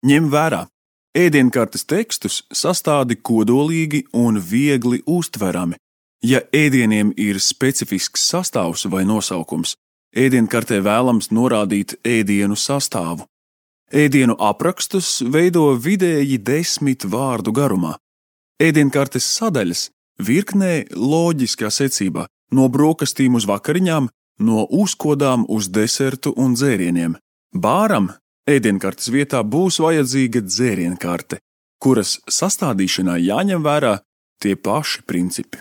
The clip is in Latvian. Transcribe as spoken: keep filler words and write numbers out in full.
Ņem vērā, ēdienkartes tekstus sastādi kodolīgi un viegli uztverami. Ja ēdieniem ir specifisks sastāvs vai nosaukums, ēdienkartē vēlams norādīt ēdienu sastāvu. Ēdienu aprakstus veido vidēji desmit vārdu garumā. Ēdienkartes sadaļas virknē loģiskā secībā, no brokastīm uz vakariņām, no uzkodām uz desertu un dzērieniem. Bāram ēdienkartes vietā būs vajadzīga dzērienkarte, kuras sastādīšanā jāņem vērā tie paši principi.